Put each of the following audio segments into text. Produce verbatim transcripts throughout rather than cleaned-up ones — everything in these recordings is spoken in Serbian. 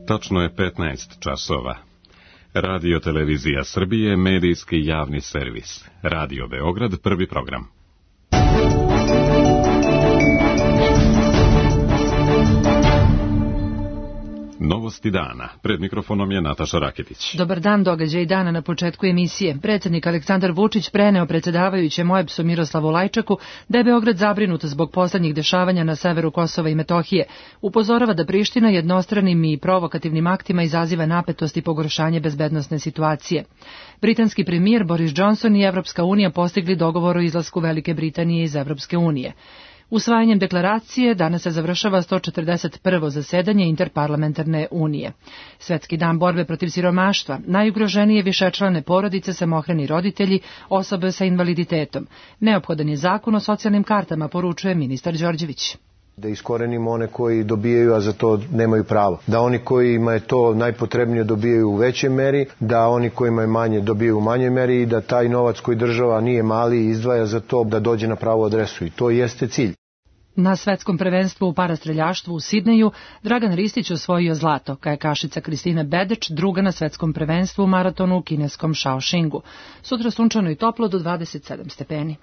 Tačno je petnaest časova. Radio Televizija Srbije, medijski javni servis. Radio Beograd, prvi program. Novosti dana. Pred mikrofonom je Nataša Raketić. Dobar dan, događaj dana na početku emisije. Predsjednik Aleksandar Vučić preneo predsjedavajućem O E B S-u Miroslavu Lajčaku da je Beograd zabrinut zbog poslednjih dešavanja na severu Kosova i Metohije. Upozorava da Priština jednostranim i provokativnim aktima izaziva napetost i pogoršanje bezbednosne situacije. Britanski premijer Boris Johnson i Evropska unija postigli dogovor o izlasku Velike Britanije iz Evropske unije. Usvajanjem deklaracije danas se završava sto četrdeset prvo zasedanje Interparlamentarne unije. Svetski dan borbe protiv siromaštva, najugroženije višečlane porodice, samohrani roditelji, osobe sa invaliditetom. Neophodan je zakon o socijalnim kartama, poručuje ministar Đorđević. Da iskorenimo one koji dobijaju, a za to nemaju pravo. Da oni kojima je to najpotrebnije dobijaju u većoj meri, da oni kojima je manje dobijaju u manjoj meri i da taj novac koji država nije mali izdvaja za to da dođe na pravu adresu. I to jeste cilj. Na svetskom prvenstvu u parastreljaštvu u Sidneju Dragan Ristić osvojio zlato, kajakašica Kristina Bedeć druga na svetskom prvenstvu u maratonu u kineskom Shaoxingu. Sutra sunčano i toplo do dvadeset sedam stepeni.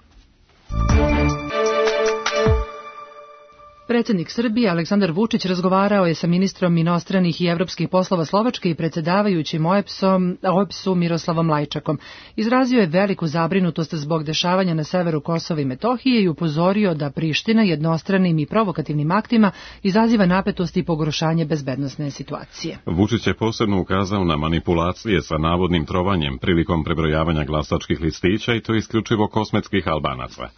Predsjednik Srbije Aleksandar Vučić razgovarao je sa ministrom inostranih i evropskih poslova Slovačke i predsjedavajućim O E B S-u Miroslavom Lajčakom. Izrazio je veliku zabrinutost zbog dešavanja na severu Kosova i Metohije i upozorio da Priština jednostranim i provokativnim aktima izaziva napetost i pogoršanje bezbednosne situacije. Vučić je posebno ukazao na manipulacije sa navodnim trovanjem prilikom prebrojavanja glasačkih listića i to isključivo kosmetskih Albanaca.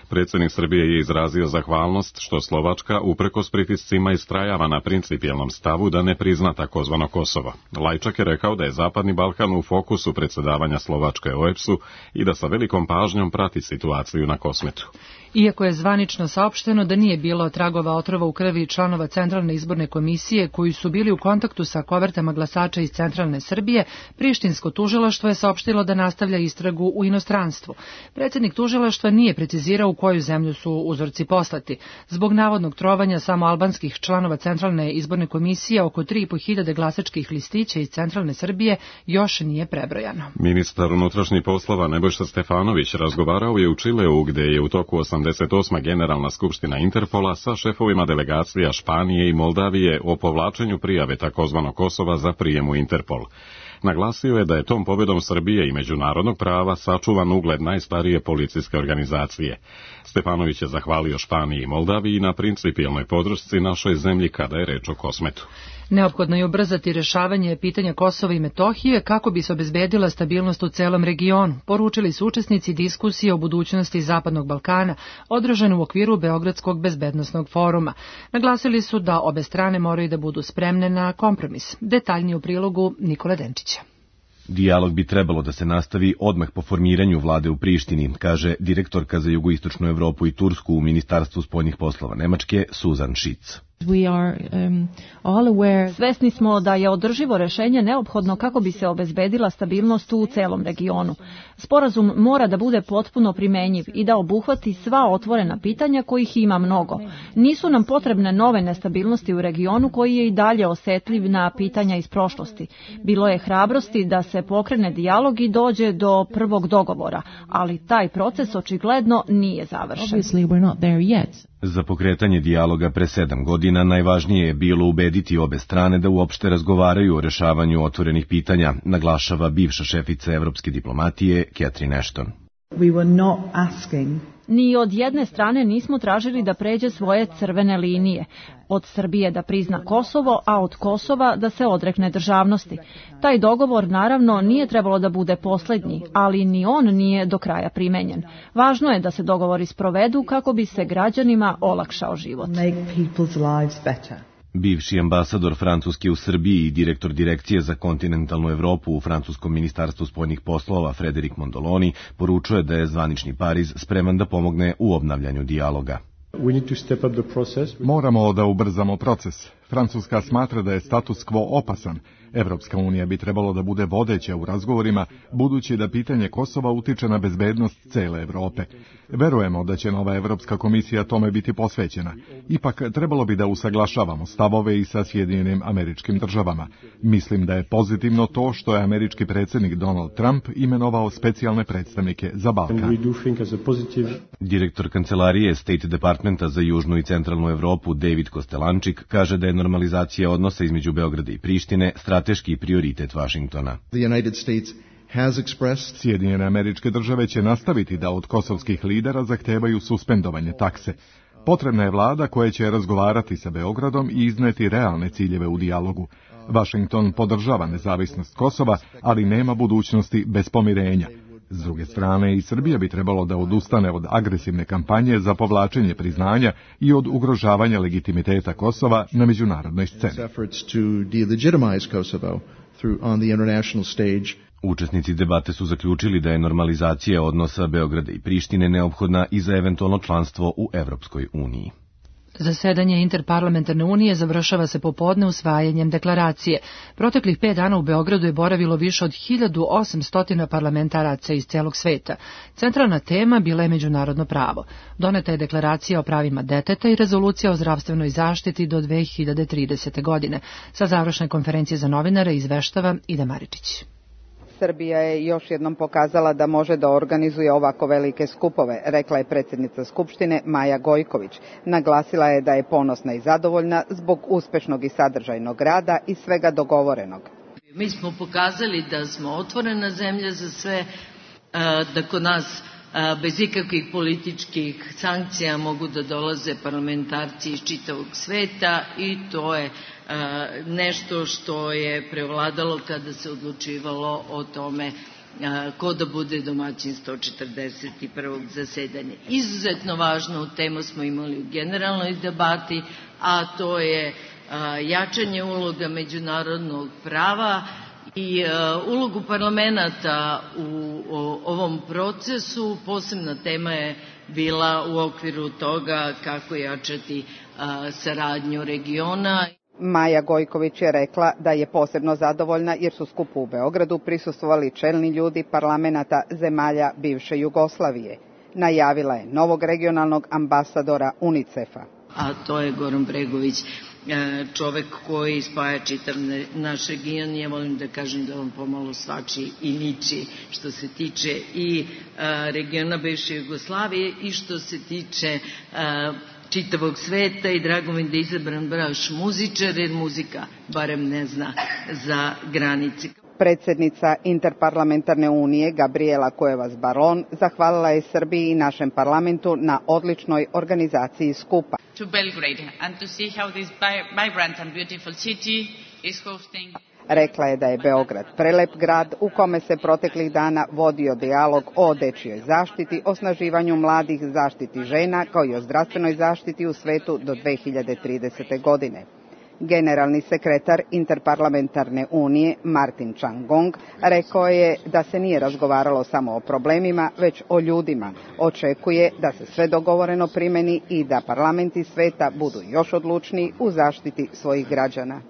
Predsjednik Srbije je izrazio zahvalnost što Slovačka uprkos pritiscima istrajava na principijelnom stavu da ne prizna takozvano Kosovo. Lajčak je rekao da je Zapadni Balkan u fokusu predsjedavanja Slovačke O E B S-u i da sa velikom pažnjom prati situaciju na Kosmetu. Iako je zvanično saopšteno da nije bilo tragova otrova u krvi članova Centralne izborne komisije koji su bili u kontaktu sa kovertama glasača iz centralne Srbije, prištinsko tužilaštvo je saopštilo da nastavlja istragu u inostranstvu. Predsjednik tužilaštva nije precizirao u koju zemlju su uzorci poslati. Zbog navodnog trovanja samo albanskih članova Centralne izborne komisije oko tri i po hiljade glasačkih listića iz centralne Srbije još nije prebrojano. Ministar unutrašnjih poslova Nebojša Stefanović razgovarao je u Čileu gde je u toku osamdeset osma Generalna skupština Interpola sa šefovima delegacija Španije i Moldavije o povlačenju prijave takozvanog Kosova za prijem u Interpol. Naglasio je da je tom pobjedom Srbije i međunarodnog prava sačuvan ugled najstarije policijske organizacije. Stefanović je zahvalio Španiji i Moldaviji na principijelnoj podršci našoj zemlji kada je reč o Kosmetu. Neophodno je ubrzati rešavanje pitanja Kosova i Metohije kako bi se obezbedila stabilnost u celom regionu, poručili su učesnici diskusije o budućnosti Zapadnog Balkana, održane u okviru Beogradskog bezbednosnog foruma. Naglasili su da obe strane moraju da budu spremne na kompromis. Detaljnije u prilogu Nikole Denčića. Dijalog bi trebalo da se nastavi odmah po formiranju vlade u Prištini, kaže direktorka za jugoistočnu Evropu i Tursku u Ministarstvu spoljnih poslova Nemačke, Suzan Šitz. We are, um, all aware. Svesni smo da je održivo rešenje neophodno kako bi se obezbedila stabilnost u celom regionu. Sporazum mora da bude potpuno primenjiv i da obuhvati sva otvorena pitanja kojih ima mnogo. Nisu nam potrebne nove nestabilnosti u regionu koji je i dalje osetljiv na pitanja iz prošlosti. Bilo je hrabrosti da se pokrene dijalog i dođe do prvog dogovora, ali taj proces očigledno nije završen. Obviously we're not there yet. Za pokretanje dijaloga pre sedam godina najvažnije je bilo ubediti obe strane da uopšte razgovaraju o rešavanju otvorenih pitanja, naglašava bivša šefica evropske diplomatije Catherine Ashton. We were not asking. Ni od jedne strane nismo tražili da pređe svoje crvene linije. Od Srbije da prizna Kosovo, a od Kosova da se odrekne državnosti. Taj dogovor naravno nije trebalo da bude poslednji, ali ni on nije do kraja primenjen. Važno je da se dogovori sprovedu kako bi se građanima olakšao život. Make people's lives better. Bivši ambasador Francuske u Srbiji i direktor direkcije za kontinentalnu Evropu u francuskom ministarstvu spoljnih poslova Frederic Mondoloni poručuje da je zvanični Pariz spreman da pomogne u obnavljanju dijaloga. Moramo da ubrzamo proces. Francuska smatra da je status quo opasan. Evropska unija bi trebalo da bude vodeća u razgovorima, budući da pitanje Kosova utiče na bezbednost cele Evrope. Verujemo da će nova Evropska komisija tome biti posvećena. Ipak trebalo bi da usaglašavamo stavove i sa Sjedinjenim Američkim Državama. Mislim da je pozitivno to što je američki predsjednik Donald Trump imenovao specijalne predstavnike za Balkan. Direktor kancelarije State Departmenta za Južnu i Centralnu Evropu David Kostelančik kaže da je normalizacija odnosa između Beograda i Prištine strateški prioritet Vašingtona. Sjedinjene Američke Države će nastaviti da od kosovskih lidera zahtevaju suspendovanje takse. Potrebna je vlada koja će razgovarati sa Beogradom i izneti realne ciljeve u dijalogu. Vašington podržava nezavisnost Kosova, ali nema budućnosti bez pomirenja. S druge strane, i Srbija bi trebalo da odustane od agresivne kampanje za povlačenje priznanja i od ugrožavanja legitimiteta Kosova na međunarodnoj sceni. Učesnici debate su zaključili da je normalizacija odnosa Beograda i Prištine neophodna i za eventualno članstvo u Evropskoj uniji. Zasedanje Interparlamentarne unije završava se popodne usvajanjem deklaracije. Proteklih pet dana u Beogradu je boravilo više od hiljadu osamsto parlamentaraca iz celog sveta. Centralna tema bila je međunarodno pravo. Doneta je deklaracija o pravima deteta i rezolucija o zdravstvenoj zaštiti do dve hiljade tridesete. godine. Sa završne konferencije za novinare izveštava Ida Maričić. Srbija je još jednom pokazala da može da organizuje ovako velike skupove, rekla je predsjednica Skupštine Maja Gojković. Naglasila je da je ponosna i zadovoljna zbog uspešnog i sadržajnog rada i svega dogovorenog. Mi smo pokazali da smo otvorena zemlja za sve, da kod nas bez ikakvih političkih sankcija mogu da dolaze parlamentarci iz čitavog sveta i to je nešto što je prevladalo kada se odlučivalo o tome ko da bude domaćin sto četrdeset prvog zasedanja. Izuzetno važnu temu smo imali u generalnoj debati, a to je jačanje uloga međunarodnog prava i ulogu parlamenta u ovom procesu. Posebna tema je bila u okviru toga kako jačati saradnju regiona. Maja Gojković je rekla da je posebno zadovoljna jer su skupu u Beogradu prisustvovali čelni ljudi parlamenata zemalja bivše Jugoslavije. Najavila je novog regionalnog ambasadora UNICEF-a. A to je Goran Bregović, čovek koji spaja čitav naš region. Ja volim da kažem da on pomalo svači i niči što se tiče i regiona bivše Jugoslavije i što se tiče čitavog sveta i drago mi da je izabran baš muzičar, jer muzika barem ne zna za granice. Predsjednica Interparlamentarne unije Gabriela Cuevas-Baron zahvalila je Srbiji i našem parlamentu na odličnoj organizaciji skupa. To Belgrade and to see how this vibrant and beautiful city is hosting. Rekla je da je Beograd prelep grad u kome se proteklih dana vodio dijalog o dečijoj zaštiti, osnaživanju mladih, zaštiti žena, kao i o zdravstvenoj zaštiti u svetu do dve hiljade tridesete. godine. Generalni sekretar Interparlamentarne unije Martin Changong rekao je da se nije razgovaralo samo o problemima, već o ljudima. Očekuje da se sve dogovoreno primeni i da parlamenti sveta budu još odlučniji u zaštiti svojih građana.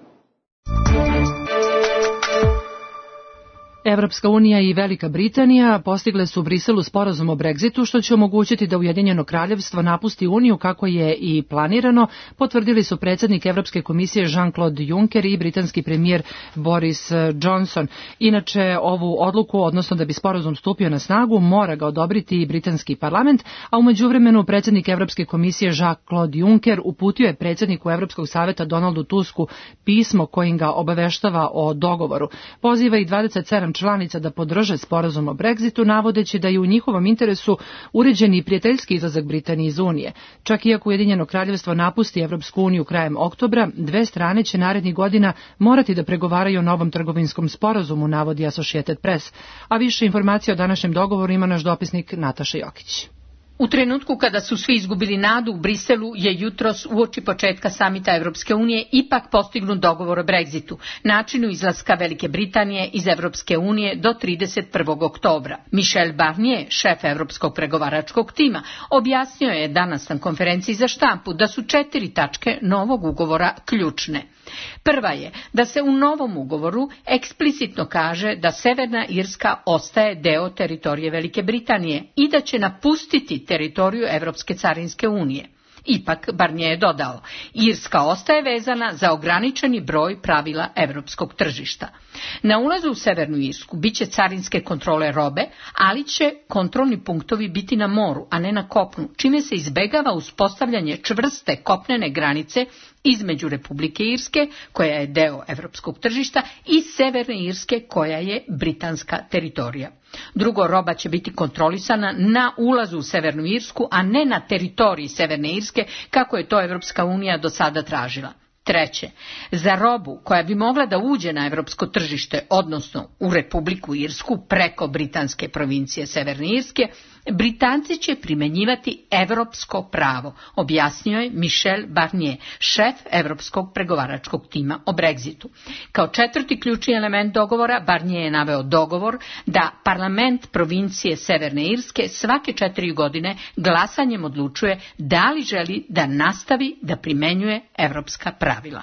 Evropska unija i Velika Britanija postigle su u Briselu sporazum o Brexitu, što će omogućiti da Ujedinjeno kraljevstvo napusti Uniju kako je i planirano, potvrdili su predsjednik Evropske komisije Jean-Claude Juncker i britanski premijer Boris Johnson. Inače, ovu odluku, odnosno da bi sporazum stupio na snagu, mora ga odobriti i britanski parlament, a u međuvremenu predsjednik Evropske komisije Jean-Claude Juncker uputio je predsjedniku Evropskog saveta Donaldu Tusku pismo kojim ga obaveštava o dogovoru. Poziva i dvadeset sedam članica da podrže sporazum o Brexitu, navodeći da je u njihovom interesu uređen i prijateljski izlazak Britanije iz Unije. Čak iako Ujedinjeno kraljevstvo napusti Evropsku uniju krajem oktobra, dve strane će narednih godina morati da pregovaraju o novom trgovinskom sporazumu, navodi Associated Press. A više informacija o današnjem dogovoru ima naš dopisnik Nataša Jokić. U trenutku kada su svi izgubili nadu, u Briselu je jutros uoči početka samita Evropske unije ipak postignut dogovor o Brexitu, načinu izlaska Velike Britanije iz Evropske unije do trideset prvog oktobra. Michel Barnier, šef Evropskog pregovaračkog tima, objasnio je danas na konferenciji za štampu da su četiri tačke novog ugovora ključne. Prva je da se u novom ugovoru eksplicitno kaže da Severna Irska ostaje deo teritorije Velike Britanije i da će napustiti teritoriju Evropske carinske unije. Ipak, Barnier je dodao, Irska ostaje vezana za ograničeni broj pravila evropskog tržišta. Na ulazu u Severnu Irsku biće carinske kontrole robe, ali će kontrolni punktovi biti na moru, a ne na kopnu, čime se izbegava uspostavljanje čvrste kopnene granice između Republike Irske, koja je deo evropskog tržišta, i Severne Irske, koja je britanska teritorija. Drugo, roba će biti kontrolisana na ulazu u Severnu Irsku, a ne na teritoriji Severne Irske, kako je to Evropska unija do sada tražila. Treće, za robu koja bi mogla da uđe na evropsko tržište, odnosno u Republiku Irsku preko britanske provincije Severne Irske, Britanci će primenjivati evropsko pravo, objasnio je Michel Barnier, šef Evropskog pregovaračkog tima o Brexitu. Kao četvrti ključni element dogovora, Barnier je naveo dogovor da parlament provincije Severne Irske svake četiri godine glasanjem odlučuje da li želi da nastavi da primenjuje evropska pravila.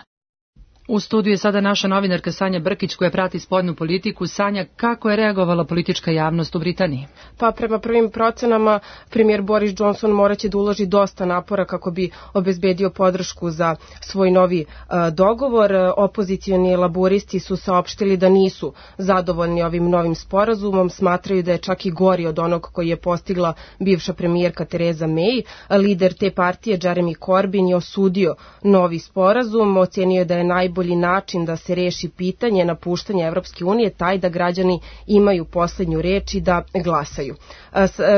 U studiju je sada naša novinarka Sanja Brkić koja prati spoljnu politiku. Sanja, kako je reagovala politička javnost u Britaniji? Pa prema prvim procenama premijer Boris Johnson moraće da uloži dosta napora kako bi obezbedio podršku za svoj novi uh, dogovor. Opozicioni laburisti su saopštili da nisu zadovoljni ovim novim sporazumom, smatraju da je čak i gori od onog koji je postigla bivša premijerka Theresa May. Lider te partije Jeremy Corbyn je osudio novi sporazum, ocenio je da je najbolji Najbolji način da se reši pitanje napuštanja Evropske unije taj da građani imaju poslednju reč i da glasaju.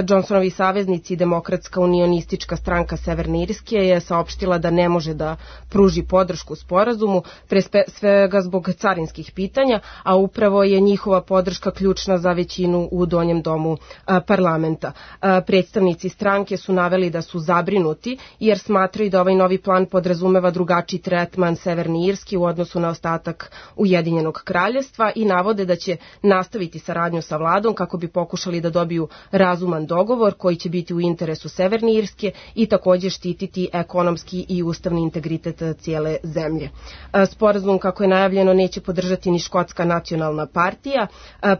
Johnsonovi saveznici, Demokratska unionistička stranka Severne Irske, je saopštila da ne može da pruži podršku sporazumu, pre svega zbog carinskih pitanja, a upravo je njihova podrška ključna za većinu u donjem domu parlamenta. Predstavnici stranke su naveli da su zabrinuti jer smatraju da ovaj novi plan podrazumeva drugačiji tretman Severne Irske u odnosu na ostatak Ujedinjenog kraljevstva i navode da će nastaviti saradnju sa vladom kako bi pokušali da dobiju razuman dogovor koji će biti u interesu Severne Irske i također štititi ekonomski i ustavni integritet cijele zemlje. Sporazum, kako je najavljeno, neće podržati ni Škotska nacionalna partija.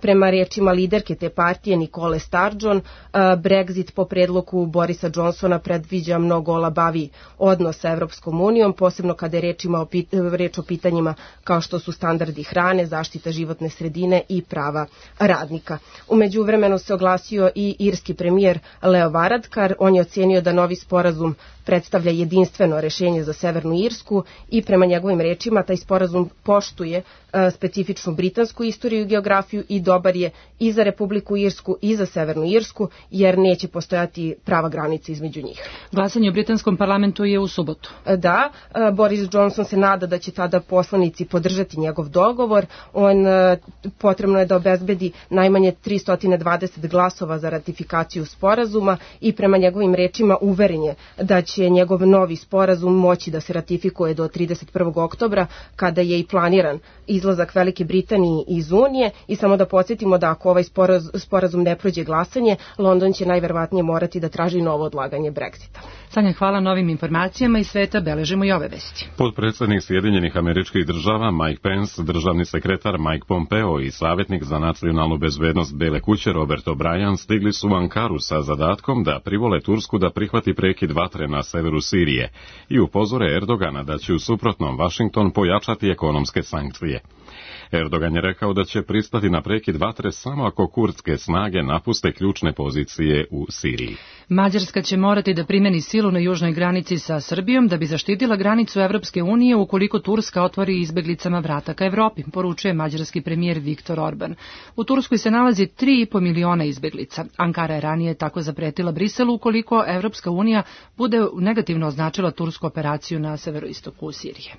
Prema rečima liderke te partije Nicole Sturgeon, Brexit po predlogu Borisa Johnsona predviđa mnogo olabaviji odnos sa Evropskom unijom, posebno kada je rečima o pit, reč o pitanjima kao što su standardi hrane, zaštita životne sredine i prava radnika. U međuvremenu se oglasio i irski premijer Leo Varadkar. On je ocenio da novi sporazum predstavlja jedinstveno rešenje za Severnu Irsku i prema njegovim rečima taj sporazum poštuje specifičnu britansku istoriju i geografiju i dobar je i za Republiku Irsku i za Severnu Irsku jer neće postojati prava granica između njih. Glasanje u britanskom parlamentu je u subotu. Da, Boris Johnson se nada da će tada poslanici podržati njegov dogovor. On potrebno je da obezbedi najmanje tristo dvadeset glasova za ratifikaciju sporazuma i prema njegovim rečima uveren je da će njegov novi sporazum moći da se ratifikuje do trideset prvog oktobra kada je i planiran izlazak Velike Britanije iz Unije i samo da podsjetimo da ako ovaj sporazum ne prođe glasanje, London će najverovatnije morati da traži novo odlaganje Brexita. Sanja, hvala novim informacijama iz sveta, beležimo i ove vesti. Potpredsjednik Sjedinjenih Američkih Država Mike Pence, državni sekretar Mike Pompeo i savjetnik za nacionalnu bezbednost Bele kuće Robert O'Brien stigli su u Ankaru sa zadatkom da privole Tursku da prihvati prekid vatre na severu Sirije i upozore Erdogana da će u suprotnom Washington pojačati ekonomske sankcije. Erdogan je rekao da će pristati na prekid vatre samo ako kurdske snage napuste ključne pozicije u Siriji. Mađarska će morati da primeni silu na južnoj granici sa Srbijom da bi zaštitila granicu Evropske unije ukoliko Turska otvori izbeglicama vrata ka Evropi, poručuje mađarski premijer Viktor Orban. U Turskoj se nalazi tri i po miliona izbeglica. Ankara je ranije tako zapretila Briselu ukoliko Evropska unija bude negativno označila tursku operaciju na severoistoku Sirije.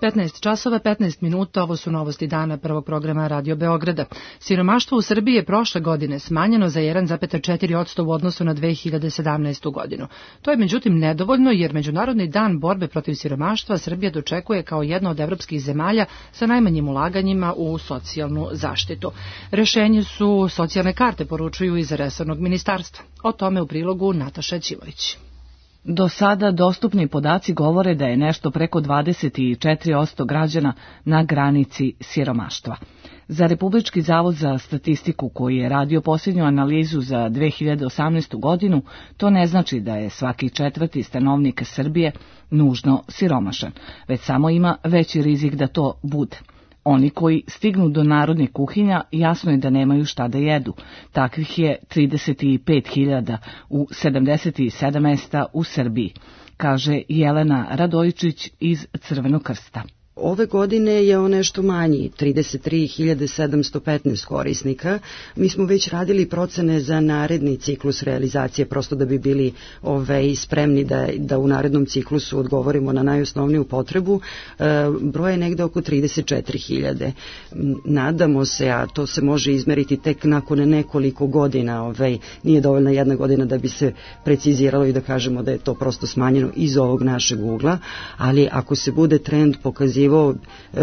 petnaest časova petnaest minuta, ovo su novosti dana prvog programa Radio Beograda. Siromaštvo u Srbiji je prošle godine smanjeno za jedan zarez četiri posto u odnosu na dve hiljade sedamnaestu. godinu. To je međutim nedovoljno jer Međunarodni dan borbe protiv siromaštva Srbija dočekuje kao jedna od evropskih zemalja sa najmanjim ulaganjima u socijalnu zaštitu. Rešenje su socijalne karte, poručuju iz resornog ministarstva. O tome u prilogu Nataša Ćivović. Do sada dostupni podaci govore da je nešto preko dvadeset četiri posto građana na granici siromaštva. Za Republički zavod za statistiku, koji je radio posljednju analizu za dve hiljade osamnaestu. godinu, to ne znači da je svaki četvrti stanovnik Srbije nužno siromašan, već samo ima veći rizik da to bude. Oni koji stignu do narodnih kuhinja jasno je da nemaju šta da jedu. Takvih je trideset pet hiljada u sedamdeset sedam mesta u Srbiji, kaže Jelena Radojičić iz Crvenog krsta. Ove godine je on nešto manji, trideset tri hiljade sedamsto petnaest korisnika. Mi smo već radili procene za naredni ciklus realizacije, prosto da bi bili ove, spremni da, da u narednom ciklusu odgovorimo na najosnovniju potrebu. E, broj je negde oko trideset četiri hiljade. Nadamo se, a to se može izmeriti tek nakon nekoliko godina, ove, nije dovoljna jedna godina da bi se preciziralo i da kažemo da je to prosto smanjeno iz ovog našeg ugla, ali ako se bude trend pokazivao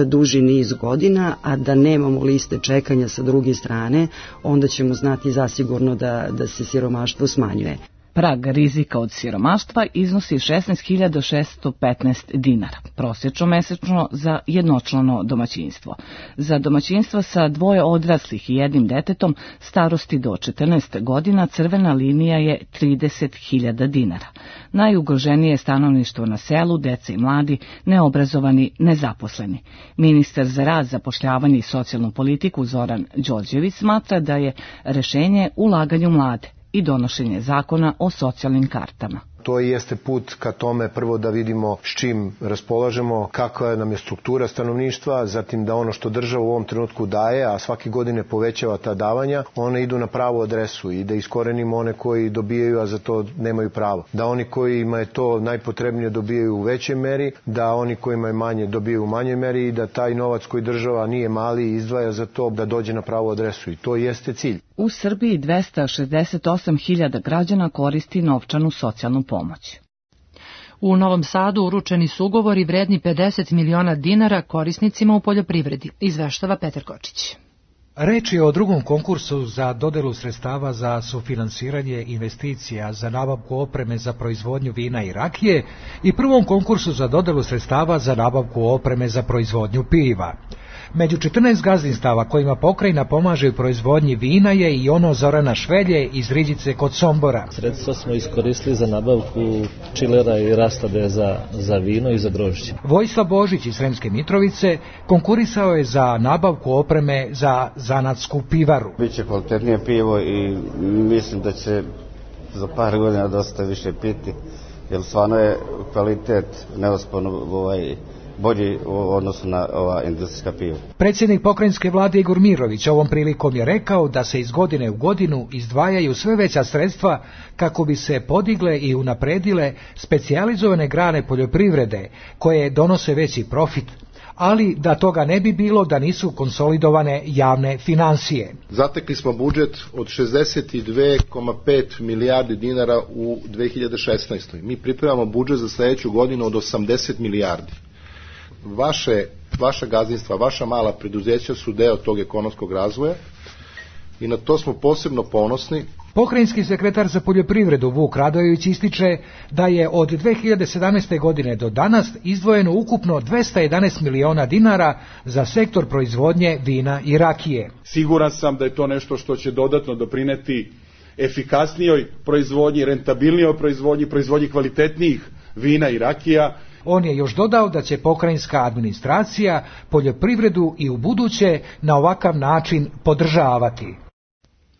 duži niz godina, a da nemamo liste čekanja sa druge strane, onda ćemo znati zasigurno da, da se siromaštvo smanjuje. Prag rizika od siromaštva iznosi šesnaest hiljada šessto petnaest dinara, prosječno mesečno za jednočlano domaćinstvo. Za domaćinstva sa dvoje odraslih i jednim detetom starosti do četrnaest godina crvena linija je trideset hiljada dinara. Najugroženije je stanovništvo na selu, deca i mladi, neobrazovani, nezaposleni. Ministar za rad, zapošljavanje i socijalnu politiku Zoran Đorđević smatra da je rešenje ulaganje u mlade i donošenje zakona o socijalnim kartama. To jeste put ka tome prvo da vidimo s čim raspolažemo, kakva nam je struktura stanovništva, zatim da ono što država u ovom trenutku daje, a svake godine povećava ta davanja, one idu na pravu adresu i da iskorenimo one koji dobijaju, a za to nemaju pravo. Da oni kojima je to najpotrebnije dobijaju u većoj meri, da oni kojima je manje dobijaju u manjoj meri i da taj novac koji država nije mali izdvaja za to da dođe na pravu adresu i to jeste cilj. U Srbiji dvesta šezdeset osam hiljada građana koristi novčanu socijalnu pomoć. U Novom Sadu uručeni su ugovori vredni pedeset miliona dinara korisnicima u poljoprivredi, izveštava Petar Kočić. Reč je o drugom konkursu za dodelu sredstava za sufinansiranje investicija za nabavku opreme za proizvodnju vina i rakije i prvom konkursu za dodelu sredstava za nabavku opreme za proizvodnju piva. Među četrnaest gazdinstava kojima pokrajina pomaže u proizvodnji vina je i ono Zorana Švelje iz Riđice kod Sombora. Sredstva smo iskoristili za nabavku čilera i rastade za, za vino i za grožđe. Vojislav Božić iz Sremske Mitrovice konkurisao je za nabavku opreme za zanatsku pivaru. Biće kvalitetnije pivo i mislim da će za par godina dosta više piti, jer stvarno je kvalitet neosporno ovaj bolji u odnosu na ova industrijska piva. Predsjednik pokrajinske vlade Igor Mirović ovom prilikom je rekao da se iz godine u godinu izdvajaju sve veća sredstva kako bi se podigle i unapredile specijalizovane grane poljoprivrede koje donose veći profit, ali da toga ne bi bilo da nisu konsolidovane javne finansije. Zatekli smo budžet od šezdeset dve zarez pet milijardi dinara u dve hiljade šesnaestoj. Mi pripremamo budžet za sljedeću godinu od osamdeset milijardi. Vaše, vaša gazdinstva, vaša mala preduzeća su deo tog ekonomskog razvoja i na to smo posebno ponosni. Pokrajinski sekretar za poljoprivredu Vuk Radojević ističe da je od dve hiljade sedamnaeste. godine do danas izdvojeno ukupno dvesta jedanaest miliona dinara za sektor proizvodnje vina i rakije. Siguran sam da je to nešto što će dodatno doprineti efikasnijoj proizvodnji, rentabilnijoj proizvodnji, proizvodnji kvalitetnijih vina i rakija. On je još dodao da će pokrajinska administracija poljoprivredu i u buduće na ovakav način podržavati.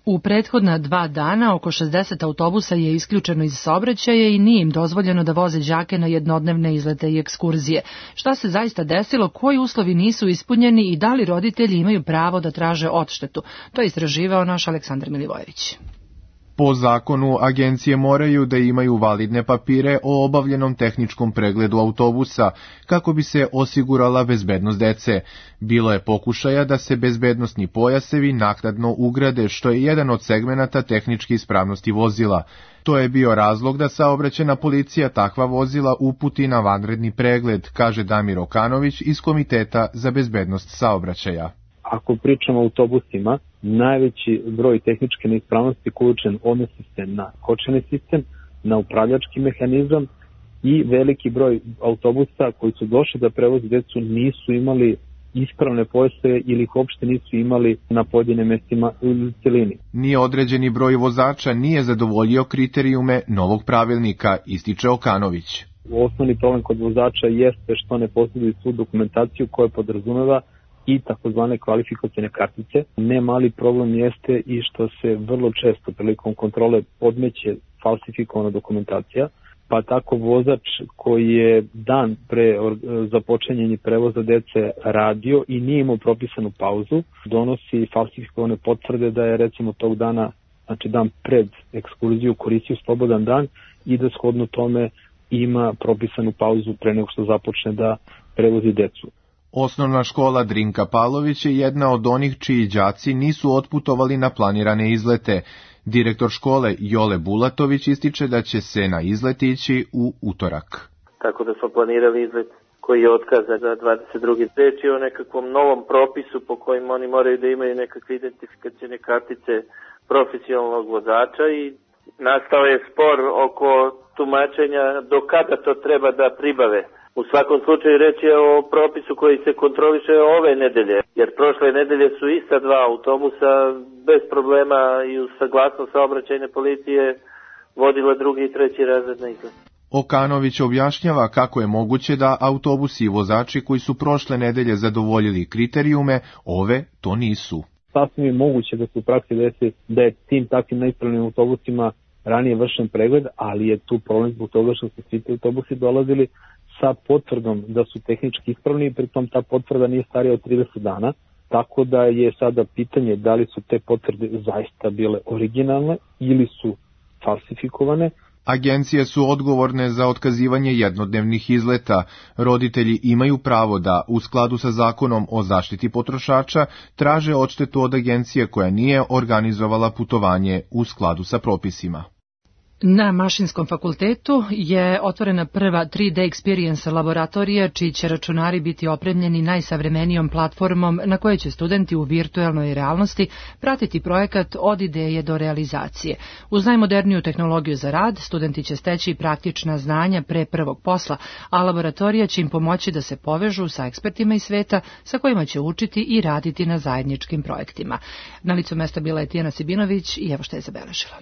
U prethodna dva dana oko šezdeset autobusa je isključeno iz saobraćaja i nije im dozvoljeno da voze đake na jednodnevne izlete i ekskurzije. Šta se zaista desilo, koji uslovi nisu ispunjeni i da li roditelji imaju pravo da traže odštetu? To je istraživao naš Aleksandar Milivojević. Po zakonu, agencije moraju da imaju validne papire o obavljenom tehničkom pregledu autobusa, kako bi se osigurala bezbednost dece. Bilo je pokušaja da se bezbednosni pojasevi naknadno ugrade, što je jedan od segmenata tehničke ispravnosti vozila. To je bio razlog da saobraćajna policija takva vozila uputi na vanredni pregled, kaže Damir Okanović iz Komiteta za bezbednost saobraćaja. Ako pričamo o autobusima, najveći broj tehničke neispravnosti uključen odnosi se na kočeni sistem, na upravljački mehanizam i veliki broj autobusa koji su došli da prevoze decu nisu imali ispravne pojaseve ili ih uopšte nisu imali na pojedinim mestima u celini. Ni određeni broj vozača nije zadovoljio kriterijume novog pravilnika, ističe Okanović. Osnovni problem kod vozača jeste što ne posjeduju svu dokumentaciju koja podrazumeva i takozvane kvalifikacione kartice. Ne mali problem jeste i što se vrlo često prilikom kontrole podmeće falsifikovana dokumentacija, pa tako vozač koji je dan pre započinjanja prevoza dece radio i nije imao propisanu pauzu, donosi falsifikovane potvrde da je recimo tog dana, znači dan pred ekskurziju, koristio slobodan dan i da shodno tome ima propisanu pauzu pre nego što započne da prevozi decu. Osnovna škola Drinka Pavlović je jedna od onih čiji đaci nisu otputovali na planirane izlete. Direktor škole Jole Bulatović ističe da će se na izlet ići u utorak. Tako da smo planirali izlet koji je otkazan za dvadeset drugi Reč je o nekakvom novom propisu po kojim oni moraju da imaju nekakve identifikacione kartice profesionalnog vozača i nastao je spor oko tumačenja do kada to treba da pribave. U svakom slučaju reč je o propisu koji se kontroliše ove nedelje, jer prošle nedelje su ista dva autobusa bez problema i uz saglasnost saobraćajne policije vodila drugi i treći razred na izlet. Okanović objašnjava kako je moguće da autobusi i vozači koji su prošle nedelje zadovoljili kriterijume, ove to nisu. Sasvim je moguće da se u praksi desi da je tim takvim neispravnim autobusima ranije vršen pregled, ali je tu problem zbog toga što su svi ti autobusi dolazili sa potvrdom da su tehnički ispravni i pritom ta potvrda nije starija od trideset dana, tako da je sada pitanje da li su te potvrde zaista bile originalne ili su falsifikovane. Agencije su odgovorne za otkazivanje jednodnevnih izleta. Roditelji imaju pravo da, u skladu sa zakonom o zaštiti potrošača, traže odštetu od agencije koja nije organizovala putovanje u skladu sa propisima. Na Mašinskom fakultetu je otvorena prva tri D Experience laboratorija, čiji će računari biti opremljeni najsavremenijom platformom na kojoj će studenti u virtualnoj realnosti pratiti projekat od ideje do realizacije. Uz najmoderniju tehnologiju za rad, studenti će steći praktična znanja pre prvog posla, a laboratorija će im pomoći da se povežu sa ekspertima iz sveta sa kojima će učiti i raditi na zajedničkim projektima. Na licu mesta bila je Tijana Sibinović i evo što je zabeležila.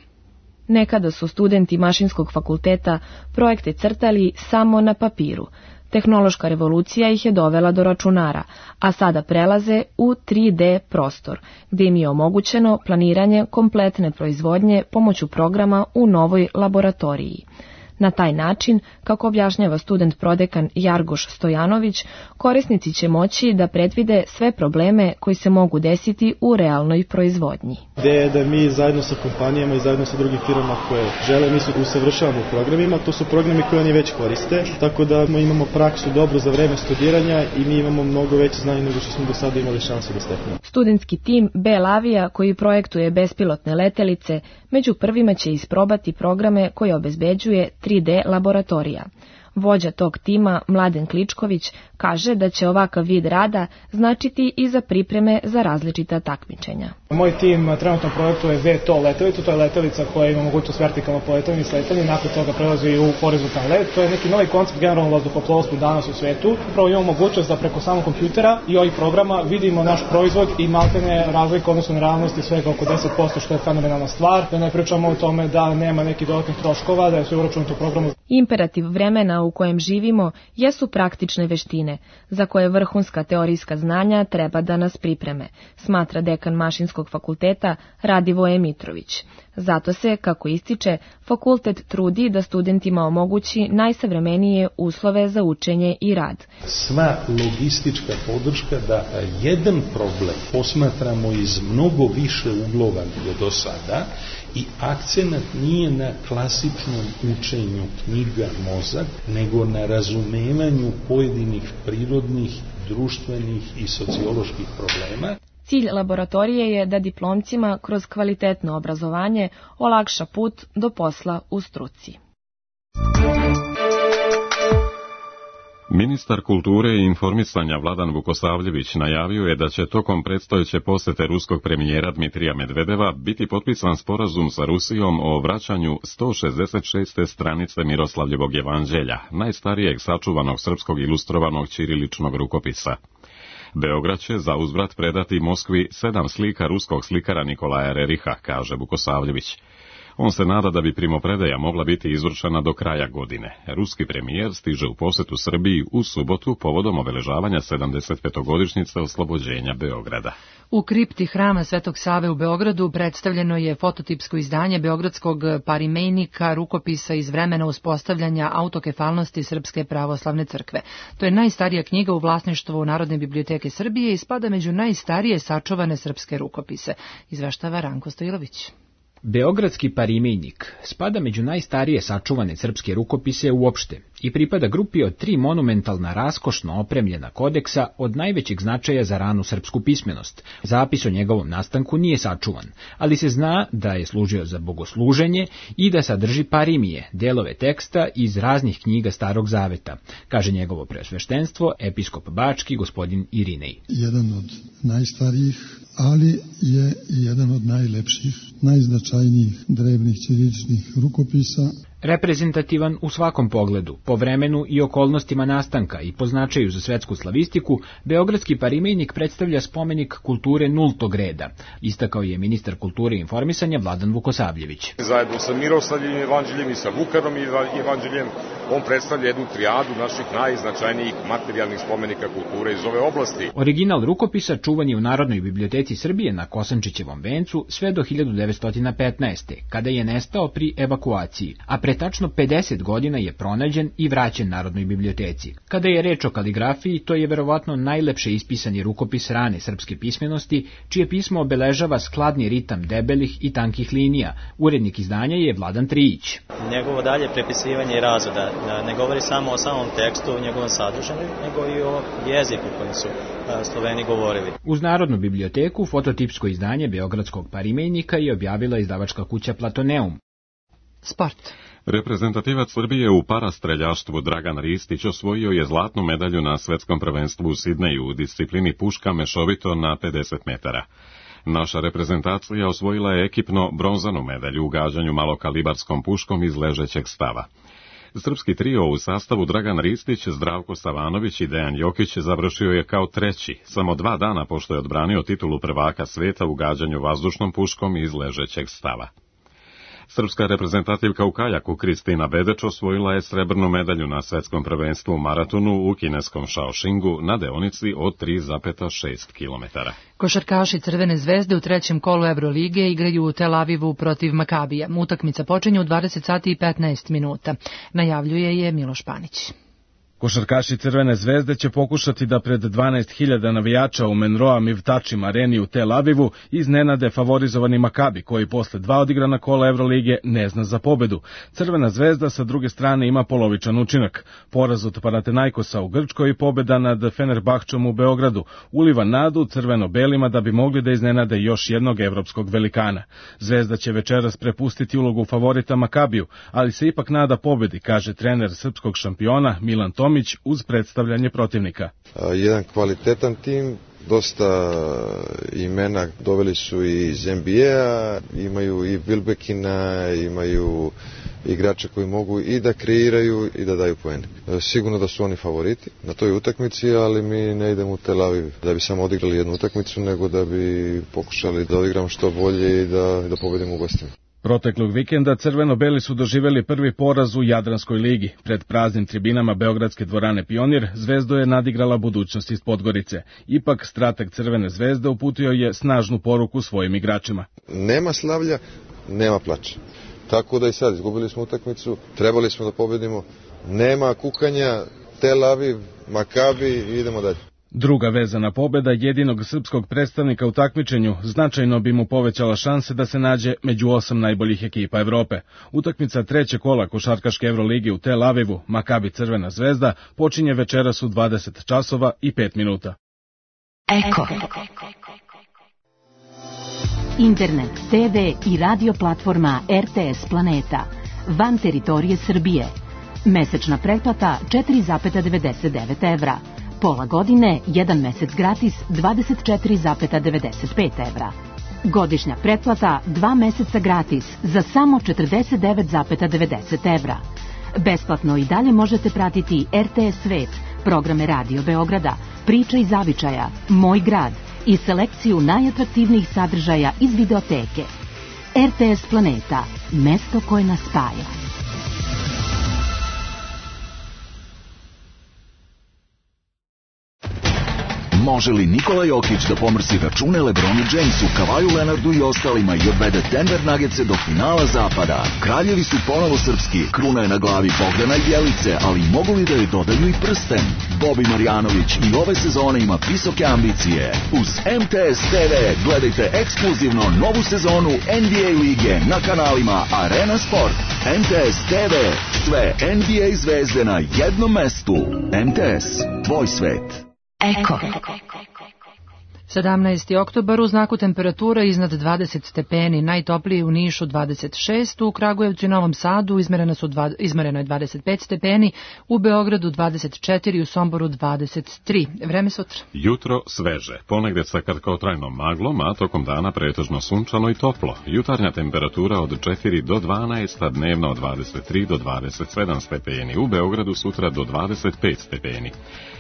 Nekada su studenti Mašinskog fakulteta projekte crtali samo na papiru. Tehnološka revolucija ih je dovela do računara, a sada prelaze u tri D prostor, gdje im je omogućeno planiranje kompletne proizvodnje pomoću programa u novoj laboratoriji. Na taj način, kako objašnjava student prodekan Jargoš Stojanović, korisnici će moći da predvide sve probleme koji se mogu desiti u realnoj proizvodnji. Ideja je da mi zajedno sa kompanijama i zajedno sa drugim firmama koje žele, mi se usavršavamo u programima, to su programi koje oni već koriste, tako da imamo praksu dobro za vreme studiranja i mi imamo mnogo veće znanje nego što smo do sada imali šansu da steknemo. Studentski tim Bell Avia, koji projektuje bespilotne letelice, među prvima će isprobati programe koje obezbeđuje tri D laboratorija. Vođa tog tima, Mladen Kličković, kaže da će ovakav vid rada značiti i za pripreme za različita takmičenja. Moj tim trenutno projektuje V T O letelicu, to je letelica koja ima mogućnost vertikalno poletanja i sletanja, nakon toga prelazi u horizontalni let. To je neki novi koncept generalnog vazduhoplovstva danas u svetu. Upravo imamo mogućnost da preko samog kompjutera i ovih programa vidimo naš proizvod i maltene razlike odnosno na realnosti svega oko deset posto, što je fenomenalna stvar. Da ne pričamo o tome da nema nekih dodatnih troškova, da je sve uračunato u programu. Imperativ vremena u kojem živimo jesu praktične veštine, za koje vrhunska teorijska znanja treba da nas pripreme, smatra dekan Mašinskog fakulteta Radivoje Mitrović. Zato se, kako ističe, fakultet trudi da studentima omogući najsavremenije uslove za učenje i rad. Sva logistička podrška da jedan problem posmatramo iz mnogo više uglova nego do sada I akcenat nije na klasičnom učenju knjiga mozak, nego na razumevanju pojedinih prirodnih, društvenih i socioloških problema. Cilj laboratorije je da diplomcima kroz kvalitetno obrazovanje olakša put do posla u struci. Ministar kulture i informisanja Vladan Vukosavljević najavio je da će tokom predstojeće posete ruskog premijera Dmitrija Medvedeva biti potpisan sporazum sa Rusijom o vraćanju sto šezdeset šeste stranice Miroslavljevog evanđelja, najstarijeg sačuvanog srpskog ilustrovanog ćiriličnog rukopisa. Beograd će za uzvrat predati Moskvi sedam slika ruskog slikara Nikolaja Reriha, kaže Vukosavljević. On se nada da bi primopredaja mogla biti izvršena do kraja godine. Ruski premijer stiže u posetu Srbiji u subotu povodom obeležavanja sedamdeset petogodišnjice oslobođenja Beograda. U kripti hrama Svetog Save u Beogradu predstavljeno je fototipsko izdanje beogradskog parimejnika rukopisa iz vremena uspostavljanja autokefalnosti Srpske pravoslavne crkve. To je najstarija knjiga u vlasništvu Narodne biblioteke Srbije i spada među najstarije sačuvane srpske rukopise, izveštava Ranko Stojilović. Beogradski parimejnik spada među najstarije sačuvane srpske rukopise uopšte i pripada grupi od tri monumentalna raskošno opremljena kodeksa od najvećeg značaja za ranu srpsku pismenost. Zapis o njegovom nastanku nije sačuvan, ali se zna da je služio za bogosluženje i da sadrži parimije, delove teksta iz raznih knjiga Starog Zaveta, kaže njegovo preosveštenstvo, episkop Bački, gospodin Irinej. Jedan od najstarijih, ali je i jedan od najlepših, najznačajnijih drevnih ćiriličnih rukopisa. Reprezentativan u svakom pogledu, po vremenu i okolnostima nastanka i po značaju za svetsku slavistiku, beogradski parimejnik predstavlja spomenik kulture nultog reda, istakao je ministar kulture i informisanja Vladan Vukosavljević. Zajedno sa Miroslavljevim evanđeljem i sa Vukanom evanđeljem, on predstavlja jednu trijadu naših najznačajnijih materijalnih spomenika kulture iz ove oblasti. Original rukopisa čuvan je u Narodnoj biblioteci Srbije na Kosančićevom vencu sve do hiljadu devetsto petnaeste. kada je nestao pri evakuaciji, a pre tačno pedeset godina je pronađen i vraćen Narodnoj biblioteci. Kada je reč o kaligrafiji, to je verovatno najlepše ispisani rukopis rane srpske pismenosti, čije pismo obeležava skladni ritam debelih i tankih linija. Urednik izdanja je Vladan Trijić. Njegovo dalje prepisivanje i razrada ne govori samo o samom tekstu, o njegovom sadržaju, nego i o jeziku kojim su Sloveni govorili. Uz Narodnu biblioteku fototipsko izdanje beogradskog parimejnika je objavila izdavačka kuća Platoneum. Sport. Reprezentativac Srbije u parastreljaštvu Dragan Ristić osvojio je zlatnu medalju na svetskom prvenstvu u Sidneju u disciplini puška mešovito na pedeset metara. Naša reprezentacija osvojila je ekipno bronzanu medalju u gađanju malokalibarskom puškom iz ležećeg stava. Srpski trio u sastavu Dragan Ristić, Zdravko Savanović i Dejan Jokić završio je kao treći, samo dva dana pošto je odbranio titulu prvaka sveta u gađanju vazdušnom puškom iz ležećeg stava. Srpska reprezentativka u kajaku Kristina Bedeč osvojila je srebrnu medalju na svetskom prvenstvu u maratonu u kineskom Shaoxingu na deonici od tri zarez šest kilometara. Košarkaši Crvene zvezde u trećem kolu Evrolige igraju u Tel Avivu protiv Makabija. Utakmica počinje u dvadeset sati i petnaest minuta. Najavljuje je Miloš Panić. Košarkaši Crvene zvezde će pokušati da pred dvanaest hiljada navijača u Menroa Mivtačim areni u Tel Avivu iznenade favorizovani Makabi, koji posle dva odigrana kola Evrolige ne zna za pobedu. Crvena zvezda sa druge strane ima polovičan učinak. Poraz od Panathinaikosa u Grčkoj i pobeda nad Fenerbahčom u Beogradu uliva nadu crveno-belima da bi mogli da iznenade još jednog evropskog velikana. Zvezda će večeras prepustiti ulogu favorita Makabiju, ali se ipak nada pobedi, kaže trener srpskog šampiona Milan Tomić uz predstavljanje protivnika. Jedan kvalitetan tim, dosta imena doveli su i iz N B A, imaju i Wilbekina, imaju igrače koji mogu i da kreiraju i da daju poene. Sigurno da su oni favoriti na toj utakmici, ali mi ne idemo u Tel Aviv da bi samo odigrali jednu utakmicu, nego da bi pokušali da odigramo što bolje i da, da pobedimo u gostima. Proteklog vikenda crveno-beli su doživjeli prvi poraz u Jadranskoj ligi. Pred praznim tribinama Beogradske dvorane Pionir Zvezdu je nadigrala budućnost iz Podgorice. Ipak strateg Crvene zvezde uputio je snažnu poruku svojim igračima. Nema slavlja, nema plača. Tako da i sad izgubili smo utakmicu, trebali smo da pobedimo. Nema kukanja, Tel Aviv, Makabi i idemo dalje. Druga vezana pobjeda jedinog srpskog predstavnika u takmičenju značajno bi mu povećala šanse da se nađe među osam najboljih ekipa Evrope. Utakmica treće kola košarkaške Evrolige u Tel Avivu, Makabi Crvena zvezda, počinje večeras u dvadeset časova i pet minuta. Eko. Internet, te ve i radio platforma er te es Planeta. Van teritorije Srbije. Mesečna pretplata četiri zarez devedeset devet evra. Pola godine, jedan mesec gratis, dvadeset četiri zarez devedeset pet evra. Godišnja pretplata, dva meseca gratis, za samo četrdeset devet zarez devedeset evra. Besplatno i dalje možete pratiti er te es Svet, programe Radio Beograda, Priča iz Zavičaja, Moj grad i selekciju najatraktivnijih sadržaja iz videoteke. er te es Planeta, mesto koje nas spaja. Može li Nikola Jokić da pomrsi račune Lebronu Jamesu, Kavaju Leonardu i ostalima i odvede Denver Nuggetse do finala zapada? Kraljevi su ponovo srpski, kruna je na glavi Bogdana i Bjelice, ali mogu li da joj dodaju i prsten? Bobi Marjanović i ove sezone ima visoke ambicije. Uz em te es te ve gledajte ekskluzivno novu sezonu en be a lige na kanalima Arena Sport. em te es te ve, sve en be a zvezde na jednom mestu. em te es, tvoj svet. Eko. sedamnaesti oktobar u znaku temperatura iznad dvadeset stepeni, najtopliji u Nišu dvadeset šest, u Kragujevcu i Novom Sadu izmereno, su dva, izmereno je dvadeset pet stepeni, u Beogradu dvadeset četiri, u Somboru dvadeset tri. Vreme sutra. Jutro sveže, ponegde sa kratkotrajnom maglom, a tokom dana pretežno sunčano i toplo. Jutarnja temperatura od četiri do dvanaest, a dnevno od dvadeset tri do dvadeset sedam stepeni, u Beogradu sutra do dvadeset pet stepeni.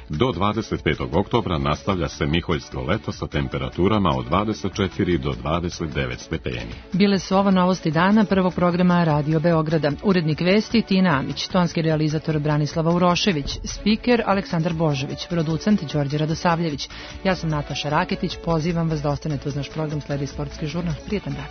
Do dvadeset petog oktobra nastavlja se miholjsko leto sa temperaturama od dvadeset četiri do dvadeset devet stepeni. Bile su ovo novosti dana prvog programa Radio Beograda. Urednik vesti Tina Amić, tonski realizator Branislava Urošević, spiker Aleksandar Božović, producent Đorđe Radosavljević. Ja sam Nataša Raketić, pozivam vas da ostanete uz naš program, sledi sportski žurnal. Prijetan dan.